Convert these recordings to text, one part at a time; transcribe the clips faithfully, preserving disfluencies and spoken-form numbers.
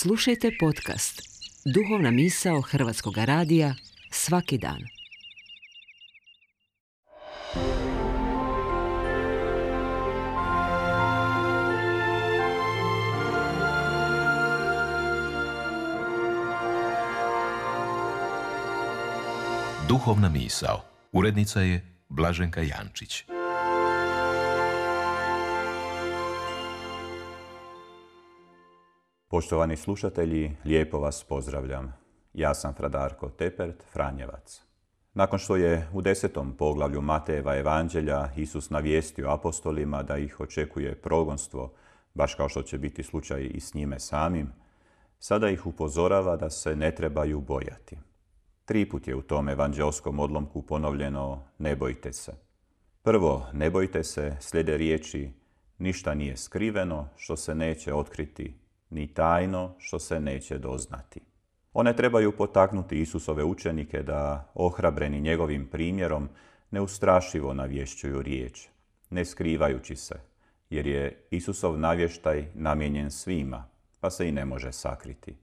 Slušajte podcast Duhovna misao Hrvatskog radija svaki dan. Duhovna misao. Urednica je Blaženka Jančić. Poštovani slušatelji, lijepo vas pozdravljam. Ja sam fra Darko Tepert, Franjevac. Nakon što je u desetom poglavlju Matejeva evanđelja Isus navijestio apostolima da ih očekuje progonstvo, baš kao što će biti slučaj i s njime samim, sada ih upozorava da se ne trebaju bojati. Tri put je u tom evanđelskom odlomku ponovljeno ne bojte se. Prvo, ne bojte se, slijede riječi ništa nije skriveno što se neće otkriti, ni tajno što se neće doznati. One trebaju potaknuti Isusove učenike da, ohrabreni njegovim primjerom, neustrašivo navješćuju riječ, ne skrivajući se, jer je Isusov navještaj namijenjen svima, pa se i ne može sakriti.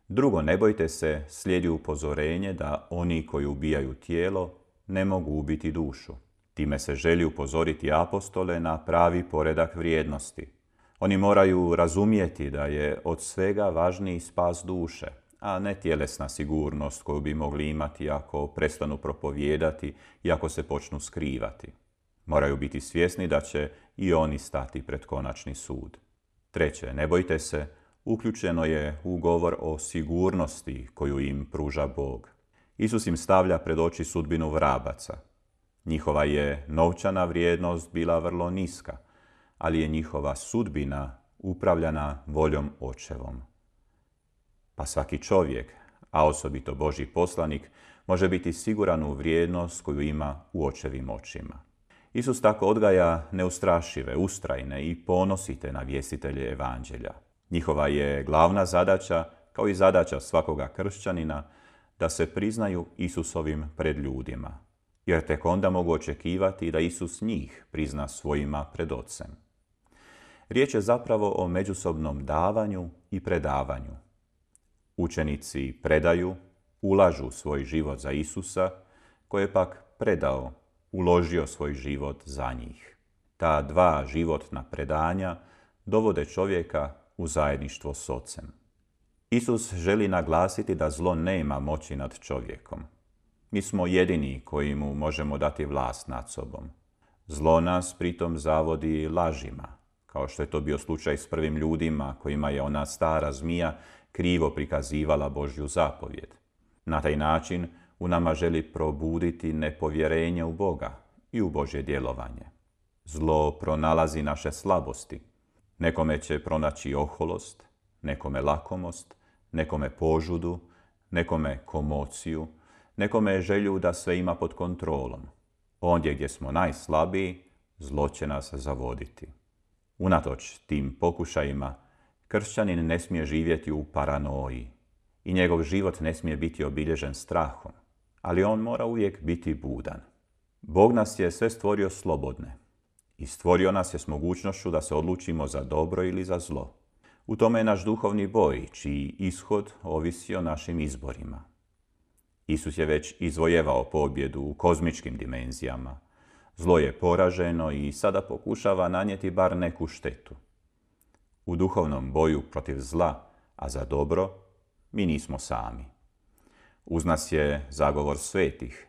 Drugo, ne bojte se, slijedi upozorenje da oni koji ubijaju tijelo ne mogu ubiti dušu. Time se želi upozoriti apostole na pravi poredak vrijednosti. Oni moraju razumjeti da je od svega važniji spas duše, a ne tjelesna sigurnost koju bi mogli imati ako prestanu propovijedati i ako se počnu skrivati. Moraju biti svjesni da će i oni stati pred konačni sud. Treće, ne bojte se, uključeno je u govor o sigurnosti koju im pruža Bog. Isus im stavlja pred oči sudbinu vrabaca. Njihova je novčana vrijednost bila vrlo niska, ali je njihova sudbina upravljana voljom Očevom. Pa svaki čovjek, a osobito Božji poslanik, može biti siguran u vrijednost koju ima u Očevim očima. Isus tako odgaja neustrašive, ustrajne i ponosite navjestitelje evanđelja. Njihova je glavna zadaća, kao i zadaća svakoga kršćanina, da se priznaju Isusovim pred ljudima, jer tek onda mogu očekivati da Isus njih prizna svojima pred Ocem. Riječ je zapravo o međusobnom davanju i predavanju. Učenici predaju, ulažu svoj život za Isusa, koji je pak predao, uložio svoj život za njih. Ta dva životna predanja dovode čovjeka u zajedništvo s Ocem. Isus želi naglasiti da zlo nema moći nad čovjekom. Mi smo jedini koji mu možemo dati vlast nad sobom. Zlo nas pritom zavodi lažima, kao što je to bio slučaj s prvim ljudima kojima je ona stara zmija krivo prikazivala Božju zapovjed. Na taj način u nama želi probuditi nepovjerenje u Boga i u Božje djelovanje. Zlo pronalazi naše slabosti. Nekome će pronaći oholost, nekome lakomost, nekome požudu, nekome komociju, nekome želju da sve ima pod kontrolom. Ondje gdje smo najslabiji, zlo će nas zavoditi. Unatoč tim pokušajima, kršćanin ne smije živjeti u paranoji i njegov život ne smije biti obilježen strahom, ali on mora uvijek biti budan. Bog nas je sve stvorio slobodne i stvorio nas je s mogućnošću da se odlučimo za dobro ili za zlo. U tome je naš duhovni boj, čiji ishod ovisi o našim izborima. Isus je već izvojevao pobjedu u kozmičkim dimenzijama. Zlo je poraženo i sada pokušava nanijeti bar neku štetu. U duhovnom boju protiv zla, a za dobro, mi nismo sami. Uz nas je zagovor svetih.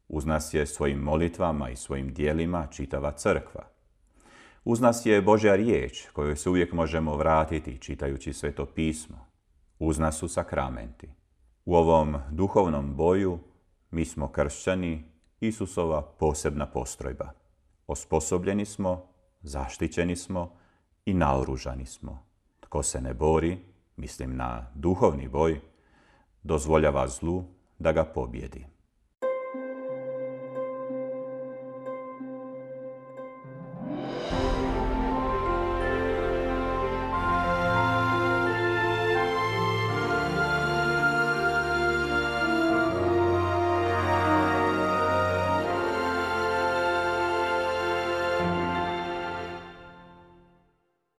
Uz nas je svojim molitvama i svojim dijelima čitava crkva. Uz nas je Božja riječ kojoj se uvijek možemo vratiti čitajući Sveto pismo. Uz nas su sakramenti. U ovom duhovnom boju mi smo kršćani, Isusova posebna postrojba. Osposobljeni smo, zaštićeni smo i naoružani smo. Tko se ne bori, mislim na duhovni boj, dozvoljava zlu da ga pobjedi.